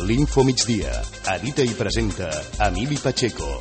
L'Info Migdia. Edita i presenta Emili Pacheco.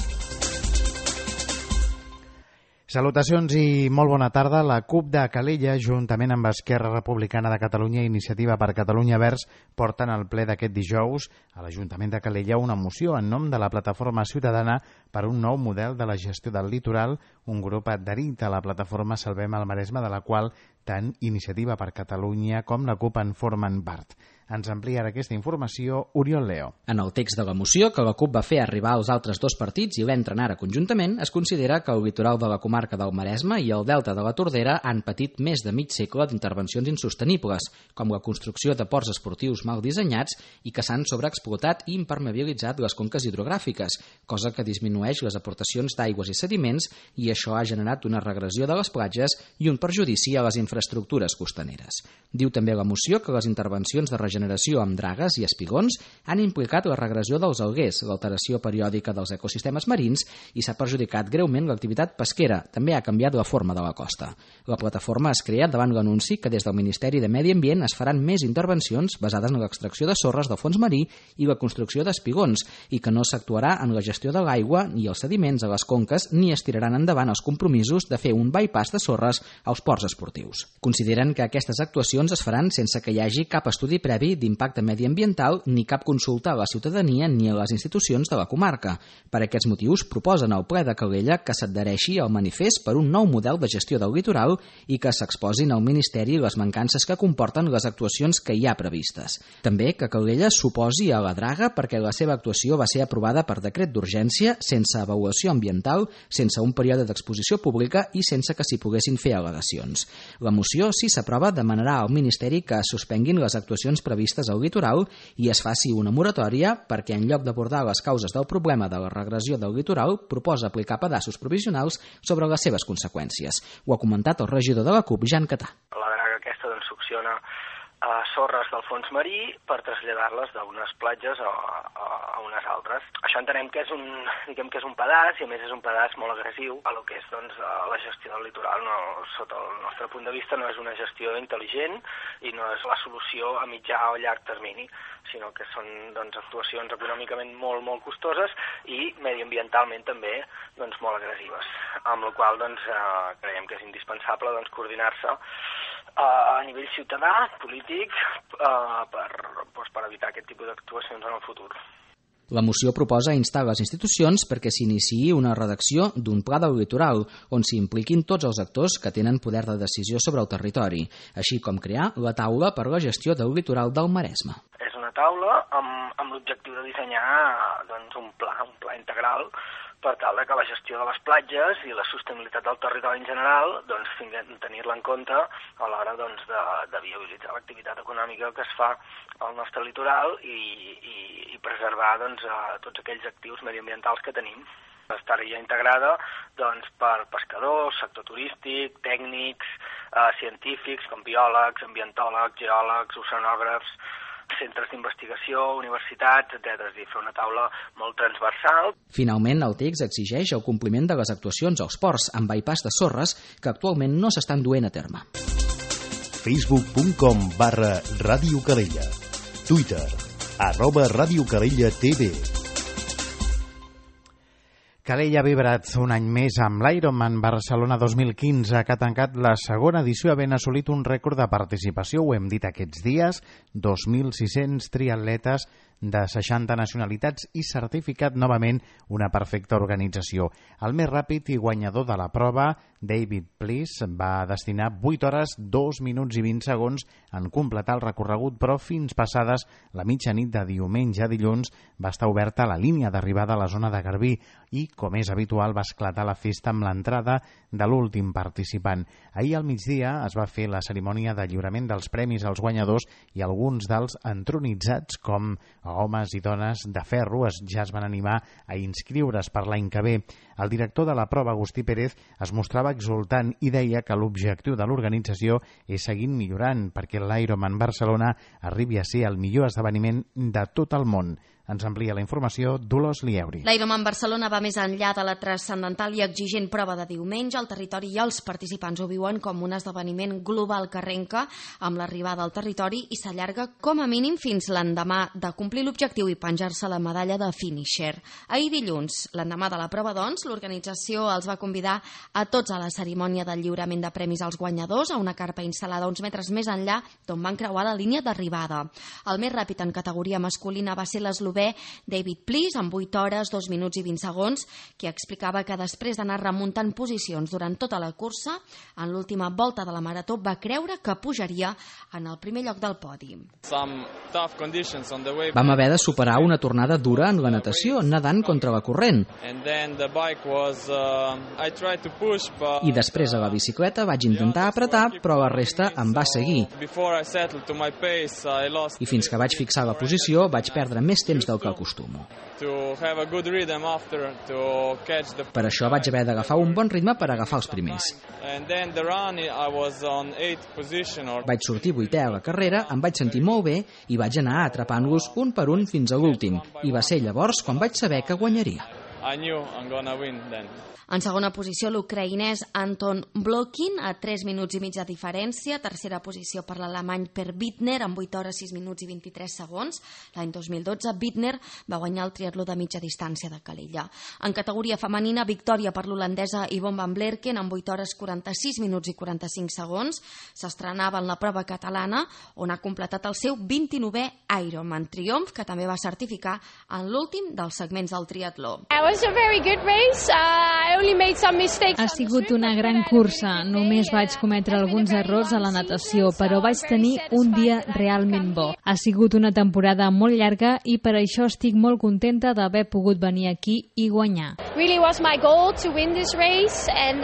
Salutacions i molt bona tarda. La CUP de Calella, juntament amb Esquerra Republicana de Catalunya i Iniciativa per Catalunya Verds, porten al ple d'aquest dijous a l'Ajuntament de Calella una moció en nom de la Plataforma Ciutadana per un nou model de la gestió del litoral, un grup adherit a la plataforma Salvem el Maresme, de la qual tant Iniciativa per Catalunya com la CUP en formen part. Ens amplia aquesta informació Oriol Leo. En el text de la moció que la CUP va fer arribar als altres dos partits i l'entren ara conjuntament, es considera que el litoral de la comarca del Maresme i el delta de la Tordera han patit més de mig segle d'intervencions insostenibles, com la construcció de ports esportius mal dissenyats i que s'han sobreexplotat i impermeabilitzat les conques hidrogràfiques, cosa que disminueix les aportacions d'aigües i sediments, i això ha generat una regressió de les platges i un perjudici a les infraestructures costaneres. Diu també la moció que les intervencions de regeneració amb dragues i espigons han implicat la regressió dels alguers, l'alteració periòdica dels ecosistemes marins i s'ha perjudicat greument l'activitat pesquera. També ha canviat la forma de la costa. La plataforma es crea davant l'anunci que des del Ministeri de Medi Ambient es faran més intervencions basades en l'extracció de sorres del fons marí i la construcció d'espigons i que no s'actuarà en la gestió de l'aigua ni els sediments a les conques ni es tiraran endavant els compromisos de fer un bypass de sorres als ports esportius. Consideren que aquestes actuacions es faran sense que hi hagi cap estudi previ d'impacte mediambiental ni cap consulta a la ciutadania ni a les institucions de la comarca. Per aquests motius proposen al ple de Calella que s'adhereixi al manifest per un nou model de gestió del litoral i que s'exposin al Ministeri les mancances que comporten les actuacions que hi ha previstes. També que Calella s'oposi a la draga perquè la seva actuació va ser aprovada per decret d'urgència, sense avaluació ambiental, sense un període d'exposició pública i sense que s'hi poguessin fer al·legacions. La moció, si s'aprova, demanarà al Ministeri que es suspenguin les actuacions previstes al litoral i es faci una moratòria perquè, en lloc d'abordar les causes del problema de la regressió del litoral, proposa aplicar pedaços provisionals sobre les seves conseqüències. Ho ha comentat el regidor de la CUP, Jan Catà. La draga aquesta succiona sorres del fons marí per traslladar-les d'unes platges a unes altres. Això entenem que és un pedaç, i a més és un pedaç molt agressiu a lo que és la gestió del litoral. No, sota el nostre punt de vista no és una gestió intel·ligent i no és la solució a mitjà o llarg termini, sinó que són actuacions econòmicament molt costoses i mediambientalment també molt agressives, amb la qual creiem que és indispensable coordinar-se a nivell ciutadà, polític, per evitar aquest tipus d'actuacions en el futur. La moció proposa instar les institucions perquè s'iniciï una redacció d'un pla del litoral on s'hi impliquin tots els actors que tenen poder de decisió sobre el territori, així com crear la taula per la gestió del litoral del Maresme. És una taula amb l'objectiu de dissenyar un pla integral per tal que la gestió de les platges i la sostenibilitat del territori en general tenir-la en compte a l'hora de viabilitzar l'activitat econòmica que es fa al nostre litoral i preservar tots aquells actius mediambientals que tenim. Estaria integrada per pescadors, sector turístic, tècnics, científics com biòlegs, ambientòlegs, geòlegs, oceanògrafs, centres d'investigació, universitats, etc. És a dir, fer una taula molt transversal. Finalment, el text exigeix el compliment de les actuacions als ports amb bypass de sorres que actualment no s'estan duent a terme. Facebook.com/Ràdio Calella. Twitter @Ràdio Calella TV. Calella ha vibrat un any més amb l'Ironman Barcelona 2015, que ha tancat la segona edició havent assolit un rècord de participació, ho hem dit aquests dies, 2.600 triatletes de 60 nacionalitats i certificat novament una perfecta organització. El més ràpid i guanyador de la prova, David Bliss, va destinar 8 hores, 2 minuts i 20 segons en completar el recorregut, però fins passades la mitjanit de diumenge a dilluns va estar oberta la línia d'arribada a la zona de Garbí i, com és habitual, va esclatar la festa amb l'entrada de l'últim participant. Ahir al migdia es va fer la cerimònia de lliurament dels premis als guanyadors i alguns dels entronitzats, com homes i dones de ferro, ja es van animar a inscriure's per l'any que ve. El director de la prova, Agustí Pérez, es mostrava exultant i deia que l'objectiu de l'organització és seguir millorant perquè l'Ironman Barcelona arribi a ser el millor esdeveniment de tot el món. Ens amplia la informació Dolors Lieuri. L'Ironman Barcelona va més enllà de la transcendental i exigent prova de diumenge. El territori i els participants ho viuen com un esdeveniment global que arrenca amb l'arribada al territori i s'allarga com a mínim fins l'endemà de complir l'objectiu i penjar-se la medalla de finisher. Ahir dilluns, l'endemà de la prova, doncs, l'organització els va convidar a tots a la cerimònia del lliurament de premis als guanyadors a una carpa instal·lada uns metres més enllà d'on van creuar la línia d'arribada. El més ràpid en categoria masculina va ser l'eslovè David Plies, amb 8 hores, 2 minuts i 20 segons, que explicava que després d'anar remuntant posicions durant tota la cursa, en l'última volta de la marató va creure que pujaria en el primer lloc del podi. Vam haver de superar una tornada dura en la natació, nedant contra la corrent. I després a la bicicleta vaig intentar apretar, però la resta em va seguir. I fins que vaig fixar la posició, vaig perdre més temps del que acostumo. Per això vaig haver d'agafar un bon ritme per agafar els primers. Vaig sortir 8è a la carrera, em vaig sentir molt bé i vaig anar atrapant-los un per un fins a l'últim. I va ser llavors quan vaig saber que guanyaria. En segona posició, l'ucraïnès Anton Blokin, a 3 minuts i mig de diferència. Tercera posició per l'alemany Per Bittner, amb 8 hores, 6 minuts i 23 segons. L'any 2012, Bittner va guanyar el triatló de mitja distància de Calella. En categoria femenina, victòria per l'holandesa Yvonne van Blerken, amb 8 hores, 46 minuts i 45 segons. S'estrenava en la prova catalana, on ha completat el seu 29è Ironman triomf, que també va certificar en l'últim dels segments del triatló. Ha sigut una gran cursa. Només vaig cometre alguns errors a la natació, però vaig tenir un dia realment bo. Ha sigut una temporada molt llarga i per això estic molt contenta d'haver pogut venir aquí i guanyar. Really was my goal to win this race and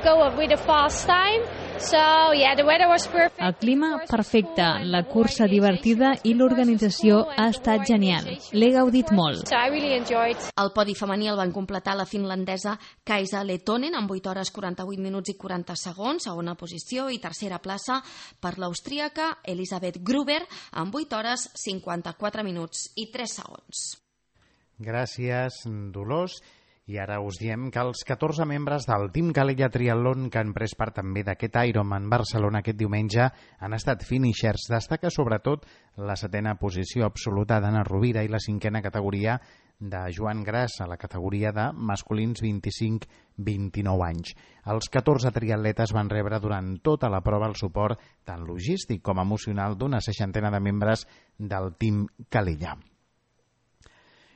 go with a fast time. So, yeah, the weather was perfect. El clima perfecte, la cursa divertida i l'organització ha estat genial. L'he gaudit molt. So I really enjoyed. El podi femení el van completar la finlandesa Kaisa Lehtonen amb 8 hores 48 minuts i 40 segons, segona posició, i tercera plaça per l'austríaca Elisabeth Gruber amb 8 hores 54 minuts i 3 segons. Gràcies, Dolors. I ara us diem que els 14 membres del Team Calella Triathlon que han pres part també d'aquest Ironman Barcelona aquest diumenge han estat finishers. Destaca sobretot la 7a posició absoluta d'Anna Rovira i la 5a categoria de Joan Gras a la categoria de masculins 25-29 anys. Els 14 triatletes van rebre durant tota la prova el suport tant logístic com emocional d'una 60a de membres del Team Calella.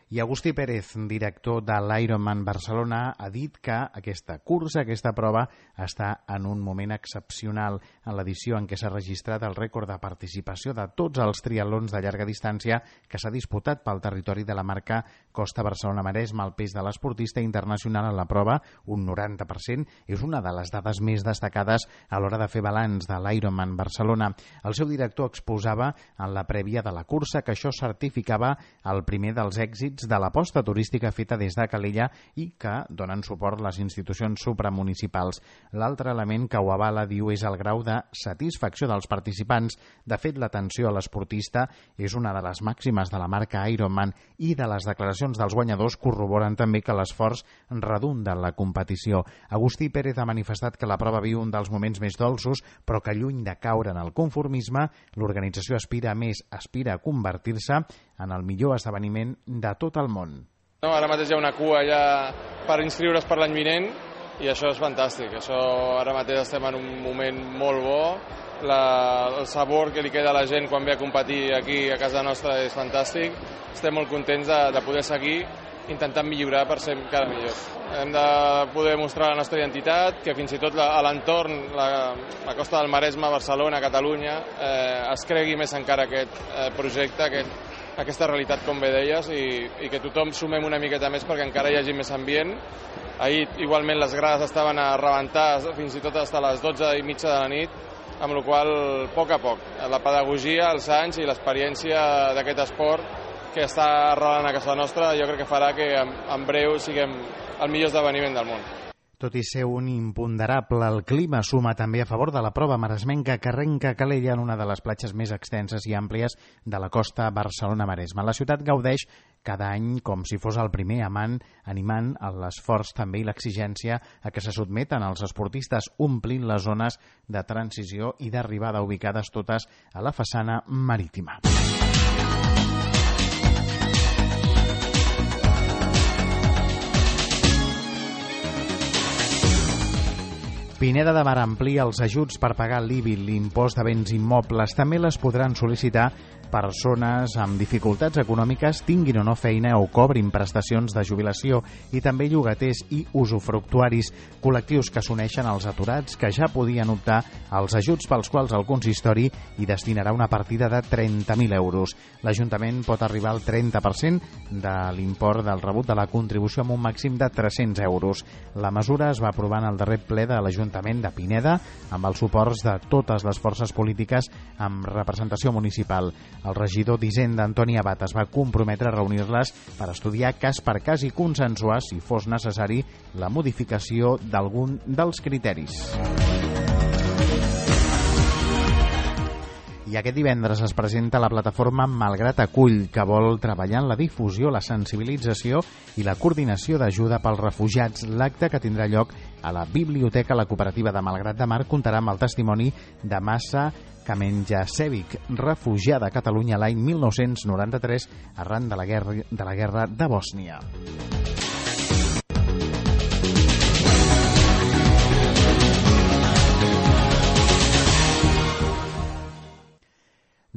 I Agustí Pérez, director de l'Ironman Barcelona, ha dit que aquesta cursa, aquesta prova, està en un moment excepcional en l'edició en què s'ha registrat el rècord de participació de tots els triatlons de llarga distància que s'ha disputat pel territori de la marca Costa Barcelona-Maresme. El pes de l'esportista internacional en la prova, un 90%, és una de les dades més destacades a l'hora de fer balanç de l'Ironman Barcelona. El seu director exposava en la prèvia de la cursa que això certificava el primer dels èxits de l'aposta turística feta des de Calella i que donen suport les institucions supramunicipals. L'altre element que ho avala, diu, és el grau de satisfacció dels participants. De fet, l'atenció a l'esportista és una de les màximes de la marca Ironman i de les declaracions dels guanyadors corroboren també que l'esforç redunda en la competició. Agustí Pérez ha manifestat que la prova viu un dels moments més dolços, però que lluny de caure en el conformisme, l'organització aspira a més, aspira a convertir-se en el millor esdeveniment de tot el món. No, ara mateix hi ha una cua ja per inscriure's per l'any vinent i això és fantàstic. Això ara mateix estem en un moment molt bo. El sabor que li queda a la gent quan ve a competir aquí a casa nostra és fantàstic. Estem molt contents de poder seguir intentant millorar per ser encara millors. Hem de poder mostrar la nostra identitat, que fins i tot a l'entorn, la Costa del Maresme, Barcelona, Catalunya, es cregui més encara aquest projecte, aquesta realitat, com bé deies, i que tothom sumem una miqueta més perquè encara hi hagi més ambient. Ahir, igualment, les grades estaven a rebentar fins i tot fins a les 12:30 de la nit, amb la qual cosa, a poc a poc, la pedagogia, els anys i l'experiència d'aquest esport que està arrelant a casa nostra, jo crec que farà que en breu siguem el millor esdeveniment del món. Tot i ser un imponderable, el clima suma també a favor de la prova maresmenca que arrenca a Calella en una de les platges més extenses i àmplies de la costa Barcelona-Maresme. La ciutat gaudeix cada any com si fos el primer, animant l'esforç també i l'exigència a què se sotmeten els esportistes, omplint les zones de transició i d'arribada ubicades totes a la façana marítima. Pineda de Mar amplia els ajuts per pagar l'IBI, l'impost de béns immobles. També les podran sol·licitar persones amb dificultats econòmiques, tinguin o no feina o cobrin prestacions de jubilació, i també llogaters i usufructuaris, col·lectius que s'uneixen als aturats que ja podien optar als ajuts pels quals el consistori hi destinarà una partida de 30.000 euros. L'Ajuntament pot arribar al 30% de l'import del rebut de la contribució amb un màxim de 300 euros. La mesura es va aprovar en el darrer ple de l'Ajuntament de Pineda amb els suports de totes les forces polítiques amb representació municipal. El regidor d'Hisenda, Antoni Abat, es va comprometre a reunir-les per estudiar cas per cas i consensuar, si fos necessari, la modificació d'algun dels criteris. I aquest divendres es presenta la plataforma Malgrat Acull, que vol treballar en la difusió, la sensibilització i la coordinació d'ajuda pels refugiats. L'acte, que tindrà lloc a la Biblioteca La Cooperativa de Malgrat de Mar, comptarà amb el testimoni de Massa Kamenjasevic, refugiada a Catalunya l'any 1993 arran de la guerra de Bòsnia.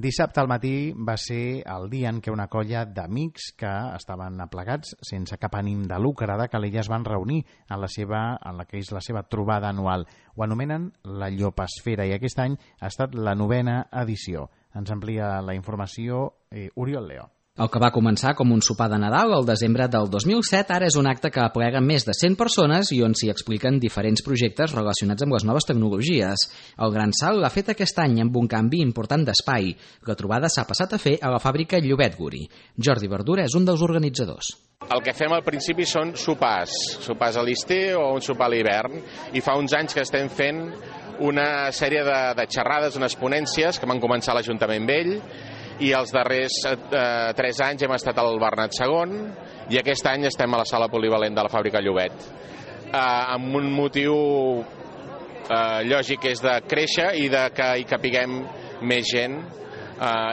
Dissabte al matí va ser el dia en què una colla d'amics que estaven aplegats sense cap ànim de lucre de Calella es van reunir en la que és la seva trobada anual. Ho anomenen la Llopesfera i aquest any ha estat la 9a edició. Ens amplia la informació Oriol Leo. El que va començar com un sopar de Nadal al desembre del 2007 ara és un acte que aplega més de 100 persones i on s'hi expliquen diferents projectes relacionats amb les noves tecnologies. El gran salt l'ha fet aquest any amb un canvi important d'espai. La trobada s'ha passat a fer a la fàbrica Llobet Guri. Jordi Verdura és un dels organitzadors. El que fem al principi són sopars a l'estiu o un sopar a l'hivern, i fa uns anys que estem fent una sèrie de xerrades, unes ponències que van començar a l'Ajuntament Vell, i els darrers 3 anys hem estat al Bernat II i aquest any estem a la sala polivalent de la fàbrica Llobet, amb un motiu lògic, és de créixer i de que hi capiguem més gent,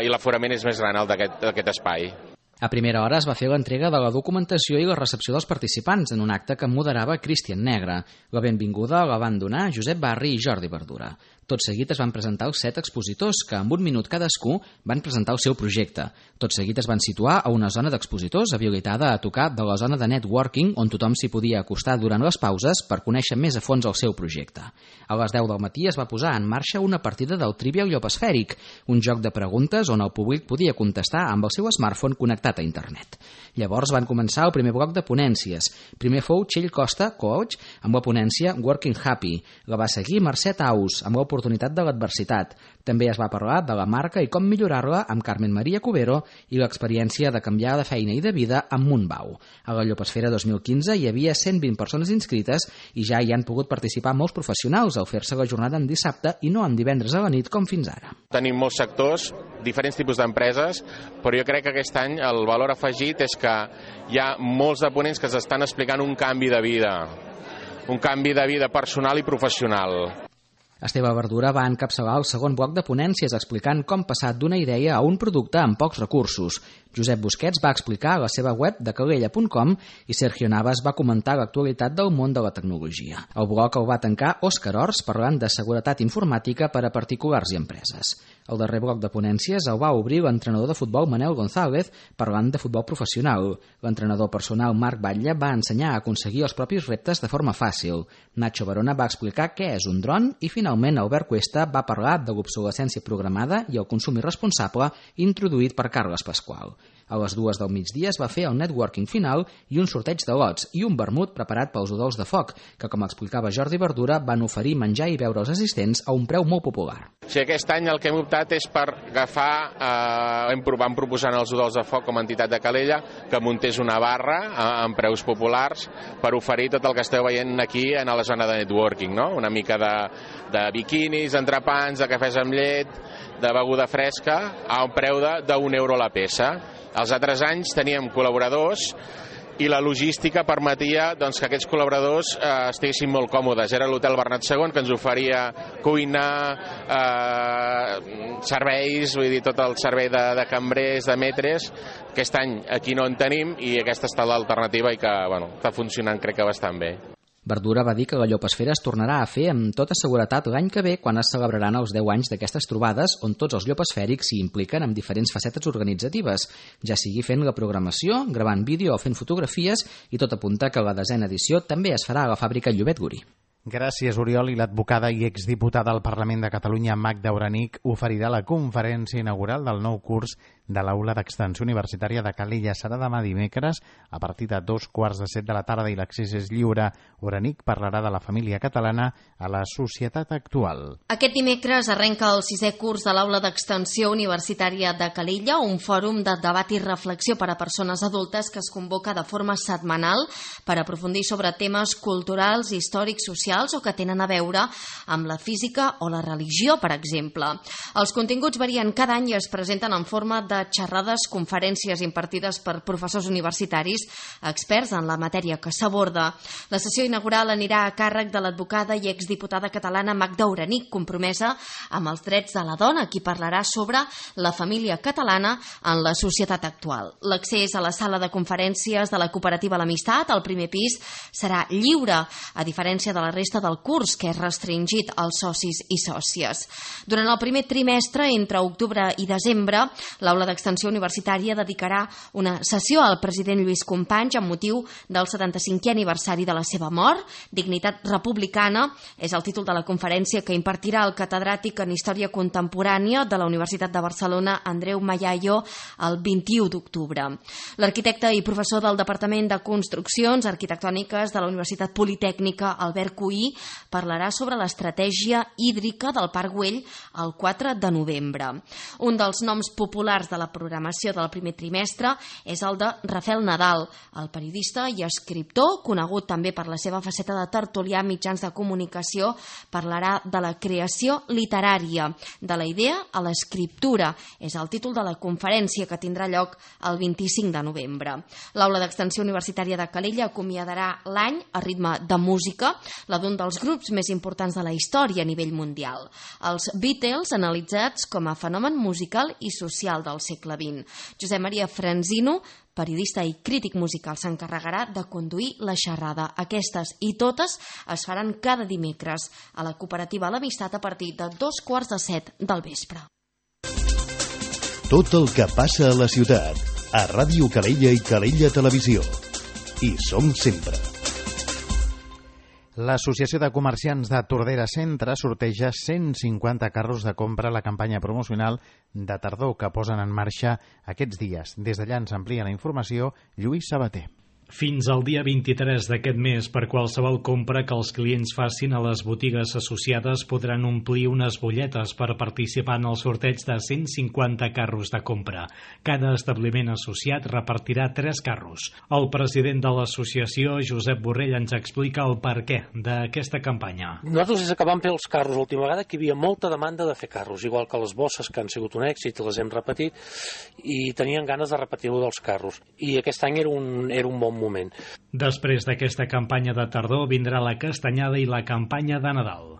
i l'aforament és més gran el d'aquest espai. A primera hora es va fer l'entrega de la documentació i la recepció dels participants en un acte que moderava Cristian Negre. La benvinguda la van donar Josep Barri i Jordi Verdura. Tot seguit es van presentar els 7 expositors que, en un minut cadascú, van presentar el seu projecte. Tot seguit es van situar a una zona d'expositors habilitada a tocar de la zona de networking, on tothom s'hi podia acostar durant les pauses per conèixer més a fons el seu projecte. A les 10 del matí es va posar en marxa una partida del Trivial Llopesfèric, un joc de preguntes on el públic podia contestar amb el seu smartphone connectat a internet. Llavors van començar el primer bloc de ponències. Primer fou Txell Costa, coach, amb la ponència Working Happy. La va seguir Mercè Taus, amb l'oportunitat de l'adversitat. També es va parlar de la marca i com millorar-la amb Carmen Maria Cubero i l'experiència de canviar de feina i de vida amb Montbau. A la Llopesfera 2015 hi havia 120 persones inscrites i ja hi han pogut participar molts professionals al fer-se la jornada en dissabte i no en divendres a la nit com fins ara. Tenim molts sectors, diferents tipus d'empreses, però jo crec que aquest any el valor afegit és que hi ha molts de ponents que s'estan explicant un canvi de vida personal i professional. Esteve Verdura va encapçalar el segon bloc de ponències explicant com passar d'una idea a un producte amb pocs recursos. Josep Busquets va explicar la seva web de calella.com i Sergio Navas va comentar l'actualitat del món de la tecnologia. El bloc el va tancar Òscar Ors parlant de seguretat informàtica per a particulars i empreses. El darrer bloc de ponències el va obrir l'entrenador de futbol Manel González parlant de futbol professional. L'entrenador personal Marc Batlle va ensenyar a aconseguir els propis reptes de forma fàcil. Nacho Barona va explicar què és un dron i finalment Albert Cuesta va parlar de l'obsolescència programada i el consum irresponsable introduït per Carles Pasqual. A les 2 del migdia es va fer el networking final i un sorteig de lots i un vermut preparat pels udols de foc, que, com explicava Jordi Verdura, van oferir menjar i beure als assistents a un preu molt popular. Sí, aquest any el que hem optat és per agafar, vam proposar als udols de foc com a entitat de Calella que muntés una barra amb preus populars per oferir tot el que esteu veient aquí a la zona de networking, no? Una mica de biquinis, entrepans, de cafès amb llet, de beguda fresca, a un preu d'1 euro la peça. Els altres anys teníem col·laboradors i la logística permetia doncs, que aquests col·laboradors estiguessin molt còmodes. Era l'Hotel Bernat II que ens oferia cuina, serveis, vull dir, tot el servei de cambrers, de metres. Aquest any aquí no en tenim i aquesta ha estat l'alternativa i que està funcionant crec que bastant bé. Verdura va dir que la Llopesfera es tornarà a fer amb tota seguretat l'any que ve quan es celebraran els 10 anys d'aquestes trobades on tots els llopesfèrics s'hi impliquen amb diferents facetes organitzatives, ja sigui fent la programació, gravant vídeo o fent fotografies, i tot apunta que la 10a edició també es farà a la fàbrica Llobet Guri. Gràcies, Oriol. I l'advocada i exdiputada al Parlament de Catalunya, Magda Uranic, oferirà la conferència inaugural del nou curs de l'Aula d'Extensió Universitària de Calella. Serà demà dimecres a partir de 2:15 de la tarda i l'accés és lliure. Uranic parlarà de la família catalana a la societat actual. Aquest dimecres arrenca el 6è curs de l'Aula d'Extensió Universitària de Calella, un fòrum de debat i reflexió per a persones adultes que es convoca de forma setmanal per aprofundir sobre temes culturals, històrics, socials o que tenen a veure amb la física o la religió, per exemple. Els continguts varien cada any i es presenten en forma de xerrades, conferències impartides per professors universitaris, experts en la matèria que s'aborda. La sessió inaugural anirà a càrrec de l'advocada i exdiputada catalana Magda Uranic, compromesa amb els drets de la dona, qui parlarà sobre la família catalana en la societat actual. L'accés a la sala de conferències de la cooperativa L'Amistat, al primer pis, serà lliure, a diferència de la resta del curs, que és restringit als socis i sòcies. Durant el primer trimestre, entre octubre i desembre, l'Aula d'Extensió Universitària dedicarà una sessió al president Lluís Companys amb motiu del 75è aniversari de la seva mort. Dignitat republicana és el títol de la conferència que impartirà el catedràtic en Història Contemporània de la Universitat de Barcelona, Andreu Mayayo, el 21 d'octubre. L'arquitecte i professor del Departament de Construccions Arquitectòniques de la Universitat Politècnica, Albert Cuí, parlarà sobre l'estratègia hídrica del Parc Güell el 4 de novembre. Un dels noms populars de la programació del primer trimestre és el de Rafael Nadal, el periodista i escriptor, conegut també per la seva faceta de tertulià a mitjans de comunicació. Parlarà de la creació literària, de la idea a l'escriptura. És el títol de la conferència que tindrà lloc el 25 de novembre. L'Aula d'Extensió Universitària de Calella acomiadarà l'any a ritme de música, la d'un dels grups més importants de la història a nivell mundial. Els Beatles, analitzats com a fenomen musical i social del segle XX. Josep Maria Franzino, periodista i crític musical, s'encarregarà de conduir la xerrada. Aquestes i totes es faran cada dimecres a la cooperativa L'Amistat a partir de 6:15 del vespre. Tot el que passa a la ciutat, a Ràdio Calella i Calella Televisió. Hi som sempre. L'Associació de Comerciants de Tordera Centre sorteja 150 carros de compra a la campanya promocional de tardor que posen en marxa aquests dies. Des d'allà ens amplia la informació Lluís Sabater. Fins al dia 23 d'aquest mes, per qualsevol compra que els clients facin a les botigues associades podran omplir unes butlletes per participar en el sorteig de 150 carros de compra. Cada establiment associat repartirà 3 carros. El president de l'associació, Josep Borrell, ens explica el perquè d'aquesta campanya. Nosaltres des que vam fer els carros l'última vegada que hi havia molta demanda de fer carros, igual que les bosses, que han sigut un èxit, les hem repetit, i tenien ganes de repetir-ho dels carros. I aquest any era un bon moment. Després d'aquesta campanya de tardor vindrà la castanyada i la campanya de Nadal.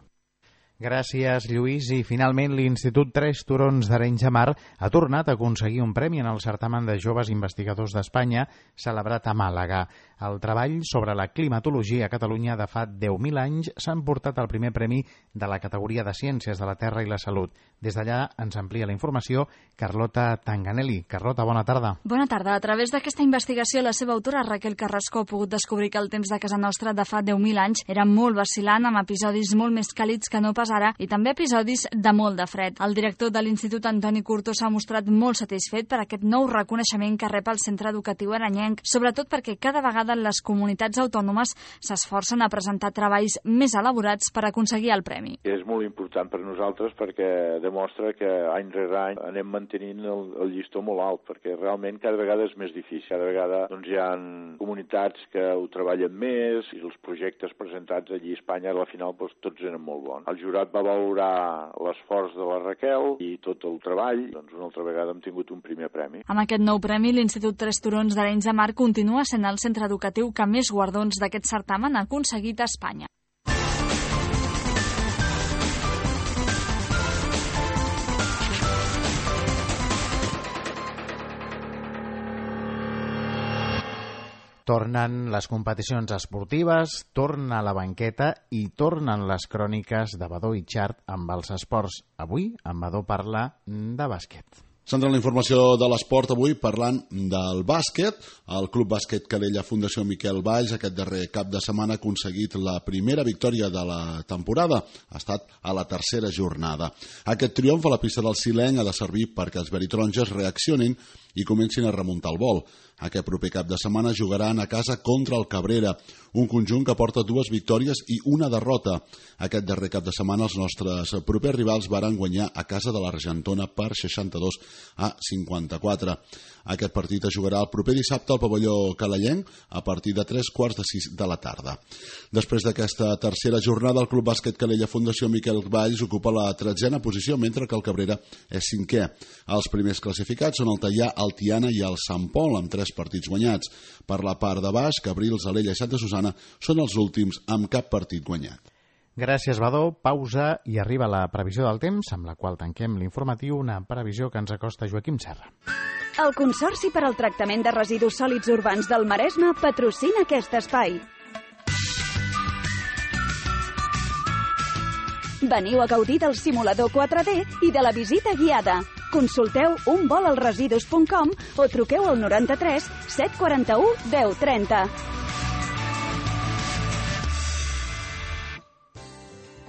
Gràcies, Lluís. I finalment l'Institut Tres Turons d'Arenys de Mar ha tornat a aconseguir un premi en el certamen de joves investigadors d'Espanya celebrat a Màlaga. El treball sobre la climatologia a Catalunya de fa 10.000 anys s'ha emportat el primer premi de la categoria de Ciències de la Terra i la Salut. Des d'allà ens amplia la informació Carlota Tanganelli. Carlota, bona tarda. Bona tarda. A través d'aquesta investigació, la seva autora, Raquel Carrasco, ha pogut descobrir que el temps de casa nostra de fa 10.000 anys era molt vacil·lant, amb episodis molt més càlids que no pas ara, i també episodis de molt de fred. El director de l'Institut, Antoni Curto, s'ha mostrat molt satisfet per aquest nou reconeixement que rep el centre educatiu aranyenc, sobretot perquè cada vegada les comunitats autònomes s'esforcen a presentar treballs més elaborats per aconseguir el premi. És molt important per nosaltres perquè demostra que any rere any anem mantenint el llistó molt alt, perquè realment cada vegada és més difícil. Cada vegada hi ha comunitats que ho treballen més i els projectes presentats allí a Espanya, a la final tots eren molt bons. El jurat jurat va valorar l'esforç de la Raquel i tot el treball, doncs una altra vegada hem tingut un primer premi. Amb aquest nou premi, l'Institut Tres Turons d'Arenys de Mar continua sent el centre educatiu que més guardons d'aquest certamen ha aconseguit a Espanya. Tornen les competicions esportives, torna la banqueta i tornen les cròniques de Badó i Xart amb els esports. Avui, en Badó parla de bàsquet. Centrant la informació de l'esport avui parlant del bàsquet. El Club Bàsquet Calella Fundació Miquel Valls aquest darrer cap de setmana ha aconseguit la primera victòria de la temporada. Ha estat a la tercera jornada. Aquest triomf a la pista del Sileny ha de servir perquè els veritaronges reaccionin i comencin a remuntar el vol. Aquest proper cap de setmana jugaran a casa contra el Cabrera, un conjunt que porta 2 victòries i una derrota. Aquest darrer cap de setmana els nostres propers rivals varen guanyar a casa de l'Argentona per 62-54. Aquest partit es jugarà el proper dissabte al pavelló calellenc a partir de 3:45 de la tarda. Després d'aquesta tercera jornada, el Club Bàsquet Calella Fundació Miquel Valls ocupa la 13a posició, mentre que el Cabrera és 5è. Els primers classificats són el Teià, el Tiana i el Sant Pol, amb 3 partits guanyats. Per la part de baix, Cabrils, Alella i Santa Susana són els últims amb cap partit guanyat. Gràcies, Badó. Pausa i arriba la previsió del temps, amb la qual tanquem l'informatiu, una previsió que ens acosta Joaquim Serra. El Consorci per al Tractament de Residus Sòlids Urbans del Maresme patrocina aquest espai. Veniu a gaudir del simulador 4D i de la visita guiada. Consulteu unvolalresidus.com o truqueu al 93 741 1030.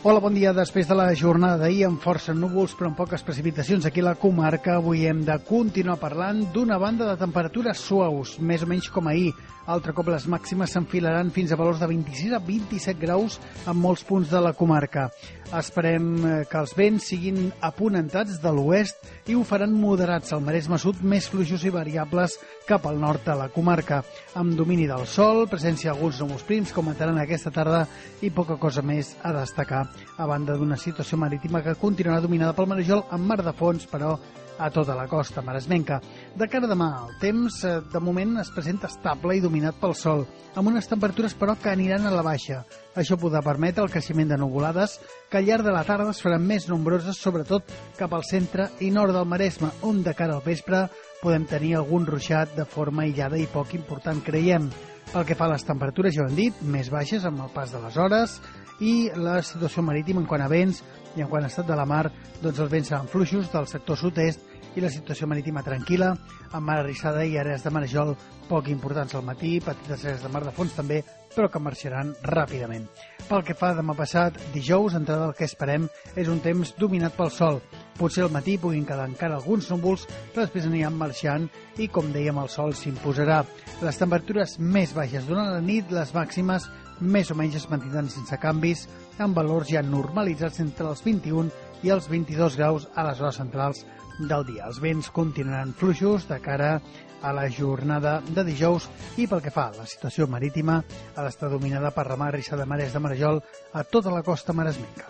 Hola, bon dia. Després de la jornada d'ahir amb força núvols però amb poques precipitacions aquí a la comarca, avui hem de continuar parlant d'una banda de temperatures suaus, més o menys com ahir. Altre cop les màximes s'enfilaran fins a valors de 26 a 27 graus en molts punts de la comarca. Esperem que els vents siguin aponentats de l'oest i ho faran moderats al Maresme Sud, més fluixos i variables cap al nord de la comarca. Amb domini del sol, presència d'alguns núvols prims que augmentaran aquesta tarda i poca cosa més a destacar, a banda d'una situació marítima que continuarà dominada pel Marejol amb mar de fons, però a tota la costa maresmenca. De cara a demà, el temps de moment es presenta estable i dominat pel sol, amb unes temperatures però que aniran a la baixa. Això podrà permetre el creixement de nuvolades que al llarg de la tarda es faran més nombroses, sobretot cap al centre i nord del Maresme, on de cara al vespre podem tenir algun ruixat de forma aïllada i poc important, creiem. Pel que fa a les temperatures, ja ho hem dit, més baixes amb el pas de les hores, i la situació marítima en quant a vents i en quant a estat de la mar, doncs els vents seran fluixos del sector sud-est i la situació marítima tranquil·la, amb mar arrissada i àrees de marejol poc importants al matí, petites àrees de mar de fons també, però que marxaran ràpidament. Pel que fa demà passat, dijous, entrada el que esperem és un temps dominat pel sol. Potser al matí puguin quedar encara alguns núvols, però després aniran marxant i, com dèiem, el sol s'imposarà. Les temperatures més baixes durant la nit, les màximes més o menys es mantindran sense canvis, amb valors ja normalitzats entre els 21 i els 22 graus a les hores centrals del dia. Els vents continuaran fluixos de cara a la jornada de dijous i pel que fa a la situació marítima ha d'estar dominada per remar arrissada de mares de marejol a tota la costa maresmenca.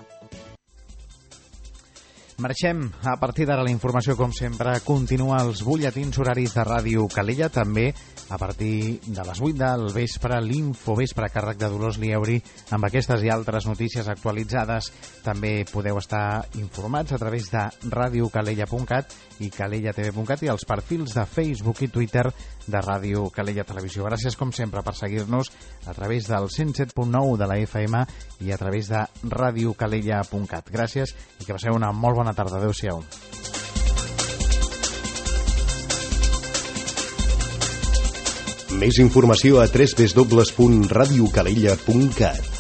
Marxem. A partir d'ara la informació, com sempre, continua als butlletins horaris de Ràdio Calella, també a partir de les 8 del vespre, l'Infovespre a càrrec de Dolors Lieuri, amb aquestes i altres notícies actualitzades. També podeu estar informats a través de radiocalella.cat i calellatv.cat i els perfils de Facebook i Twitter de Ràdio Calella Televisió. Gràcies, com sempre, per seguir-nos a través del 107.9 de la FM i a través de radiocalella.cat. Gràcies i que passeu una molt bona tarda. Adéu-siau. Més informació a www.radiocalella.cat.